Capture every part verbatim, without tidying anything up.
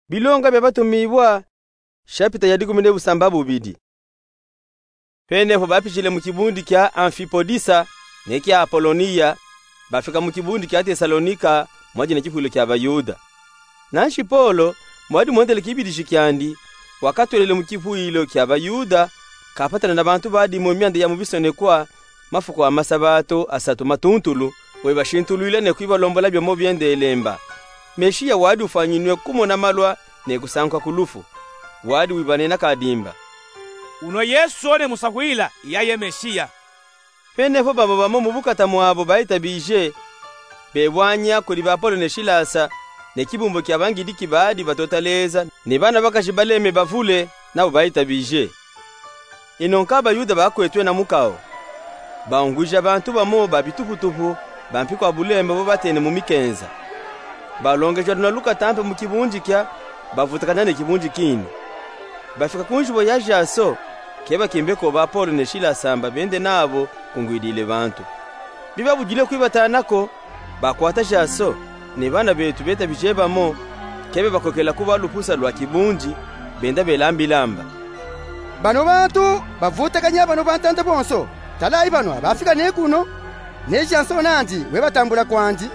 Bilonga bia Batumibua, shapita ya dikumi ne busambabubidi. Pene po bapitile mu kibundi kia Amfipolisa ne kia Apolonia, bafika mu kibundi kia Tesalonika, mwadi ne kifwilo kia Bayuda. Nanshi Polo, mwadi mwendele kibidiji kiandi, wakatwelele mu kifwilo kia Bayuda, kapatana na bantu badi mu mianda ya mu bisonekwa, mafuku a masabato asatu matuntulu, webashintulwile ne kwibalombola biomo biendelemba. Mesiya wadi ufwanyinwe kumona malwa ne kusanguka ku lufu. Wadi wibanena kadimba: Uno Yesu one musafwila, iyaye Mesiya. Pene po babo bamo mu bukata mwabo baitabije, bebwanya kudi ba Polo ne Silasa, ne kibumbu kia bangidiki badi batota leza, ne bana bakaji baleme bavule, nabo baitabije. Ino nka Bayuda bakwetwe na mukao, baungwija bantu bamo ba bituputupu, ba mpi kwa bulemba bo batene mu mikenza. Balongeja luna lukata mpe mu kibundi kia, bavutakana ne kibundi kini. Bafika ku njibo ya Jaso, kebakimbe ko ba Polo ne Silasa mba bende nabo kungwidile bantu. Bibabudile kwibatana ko, bakwata Jaso, ne bana betu betabije bamo, kebabakokela ku ba lupusa lwa kibundi, benda belambilamba: Bano bantu bavutakanya bano bantanda bonso, talayi bano abafika ne kuno, ne Jaso nandi webatambula kwandi.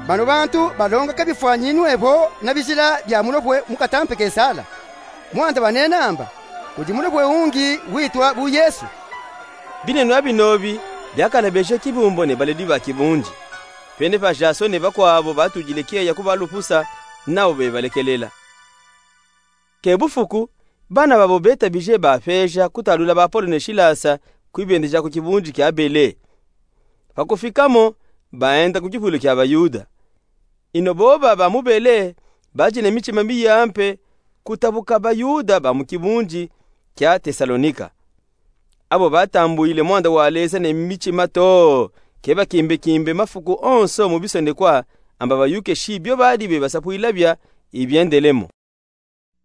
Bano bantu balonga ka bifwanyinwe vo na bizila bia mulopwe mukata mpe Kesala. Mwanda banenamba, kudi mulopwe ungi witwa bu Yesu. Binenwa binobi biakalabeje kibumbu ne baledi ba kibundi. Pene pa Jaso ne bakwabo batudile kieya ku ba lupusa, nabo bebalekelela. Ke bufuku, bana babo betabije bapeja kutalula ba Polo ne Silasa kwibendeja ku kibundi kia Bele. Pa kufikamo, baenda ku kifwilo kia Bayuda. Ino boba ba mu Bele, baji ne mitima miya mpe kutabuka Bayuda ba mu kibundi kia Tesalonika. Abo batambwile mwanda wa leza ne mitima too, kebakimbekimbe mafuku onso mu bisonekwa, amba bayuke shi bio badi bebasapwila bia ibiendelemo.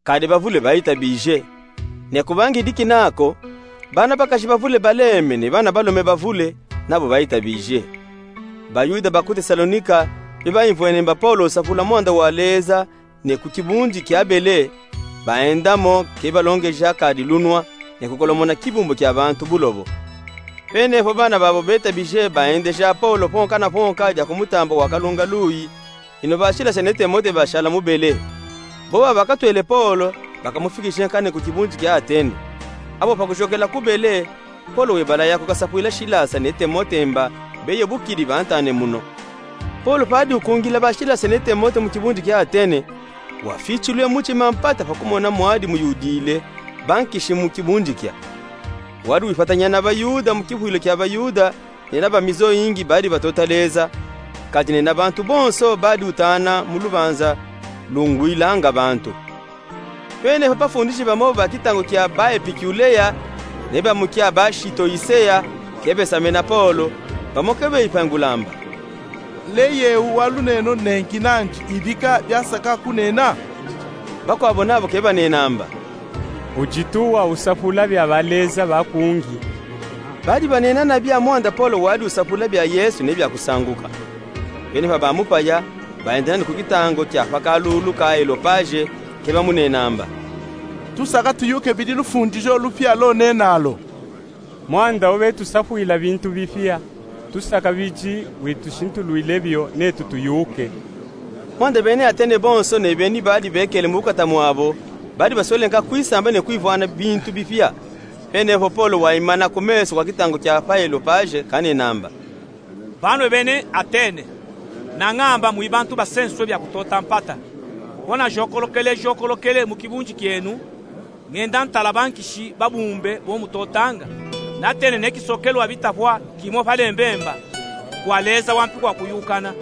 Kadi bavule baitabije. Ne ku bangidiki nako, bana bakaji bavule baleme ne bana balume bavule, nabo baitabije. Bayuda ba ku Tesalonika, bibaimvwene mba Polo usapula mwanda wa leza ne ku kibundi kia Bele, baendamo kebalongeja kadi lunwa, ne kukolomona kibumbu kia bantu bulobo. Pene po bana babo betabije baendeja Polo ponka na ponka dia ku mutamba wa kalunga luyi, ino ba Silasa ne Timote bashala mu Bele. Boba bakatwele Polo, bakamufikije nkane ku kibundi kia Atene. Abo pa kujokela ku Bele, Polo webalaya kukasapwila Silasa ne Timote mba beye bukidi bantane muno. Polo padi ukungila ba Silasa ne Timote mu kibundi kia Atene, wafichilwe mutima mpata pa kumona mwadi muyudile bankishi mu kibundi kia. Wadi wipatanya na Bayuda mu kifwilo kia Bayuda, ne na ba mizo yingi badi batota leza, kadi ne na bantu bonso badi utana mu lubanza lungwilanga bantu. Pene po bafundishi bamo ba kitangu kia ba Epikulea, ne ba mu kia ba Sitoisea, kebesamena Polo, bamo kebeyipangulamba: Leye u waluneno nenki nandi ibika biasaka kunena? Bakwabo nabo kebanenamba: Udi tuwa usapula bia baleza bakungi. Badi banena na bia mwanda Polo wadi usapula bia Yesu ne bia kusanguka. Pene pa bamupaya, baendana ne ku kitangu kia pa kalulu ka Aelopaje, kebamunenamba: Tusaka tuyuke bidi lufundijo lupia lonenalo. Mwanda ubetusapwila bintu bipia, tusaka bidi witushintulwile bio netu tuyuke. Mwanda bena Atene bonso ne beni badi bekele mu bukata mwabo, badi baswele nka kwisamba ne kwivwana bintu bipia. Pene po Polo waimana ku meso kwa kitangu kia pa Aelopaje kanenamba: Banwe bena Atene, nangamba mwi bantu basenswe bia kutota mpata. Ko najokolokele jokolokele mu kibundi kienu, ngenda ntala bankishi babumbe bo mutotanga. Natene ne kisokelu wa bitapwa kimo pa lembemba, kwa leza wa mpi kwa kuyukana.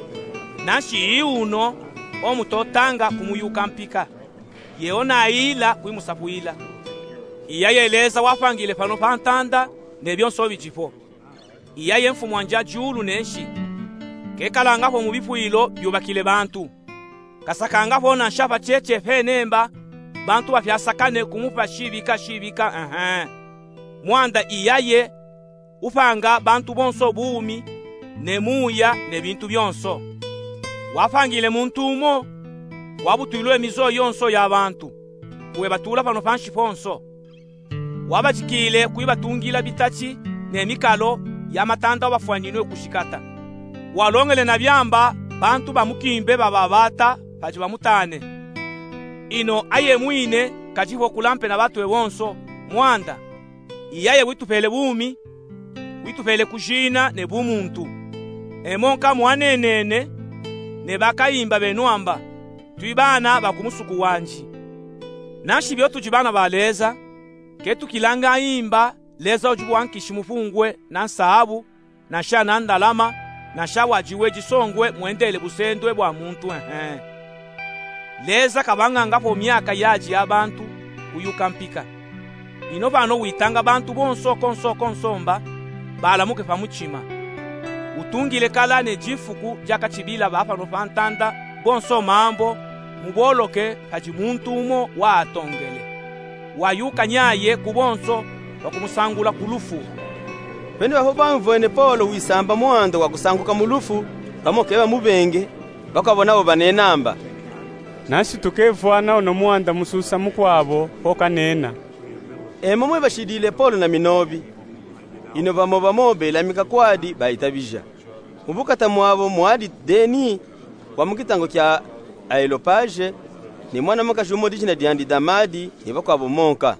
Nanshi i uno o mutotanga kumuyuka mpika. Yeo nayila kwimusapwila. Iyaye leza wapangile pano pa ntanda ne bionso bidipo. Iyaye mfumu wa nza diulu ne nsi. Kekalanga po mu bipwilo biubakile bantu. Kasakanga po nansha pa tiete pene mba bantu bapiasakane kumupa shibika shibika, ehe. Mwanda iyaye upanga bantu bonso bumi, ne muya, ne bintu bionso. Wapangile muntu umo wabutwilwe mizoyo yonso ya bantu, kuebatula pano pansi ponso. Wabajikile kwibatungila bitati ne mikalo ya matanda wabafwaninwe ku shikata. Walongele na biamba bantu bamukimbe bababata padi bamutane. Ino aye mwine kadi hokula mpe na batwe bonso, Mwanda, i yaye witupele bumi, witupele kujina ne bumuntu. Emo nkamwanenene ne bakayimba beno amba: Twi bana ba ku musuku wandi. Nanshi bio tudi bana ba Leza, ke tukilanga imba Leza udi bwa nkishi mupungwe na nsahabu, na nsha na ndalama, na nsha wadiwe disongwe mwendele busendwe bwa muntu, ehe. Leza kabanganga po miaka yadi ya bantu kuyuka mpika. Ino pano witanga bantu bonso konso konso mba balamuke pa mutima. Utungile kala ne difuku dia katibila ba pano pa ntanda bonso mambo muboloke padi muntu umo waatongele. Wayuka nyaye ku bonso, wakumusangula ku lufu. Pene baho bamvwene Polo wisamba mwanda wa kusanguka mu lufu, bamo ke bamubenge, bakwabo nabo banena amba: Nanshi tukevwana ona mwanda mususa mukwabo ho kanena. Emo mwe bashidile Polo na minobi. Ino bamo bamo belamika kwadi baitabija. Mu bukata mwabo mwadi Deni, wa mu kitango kia Aelopaje, ne mwana mukaji umo dijina diandi Damadi, ne bakwabo monka.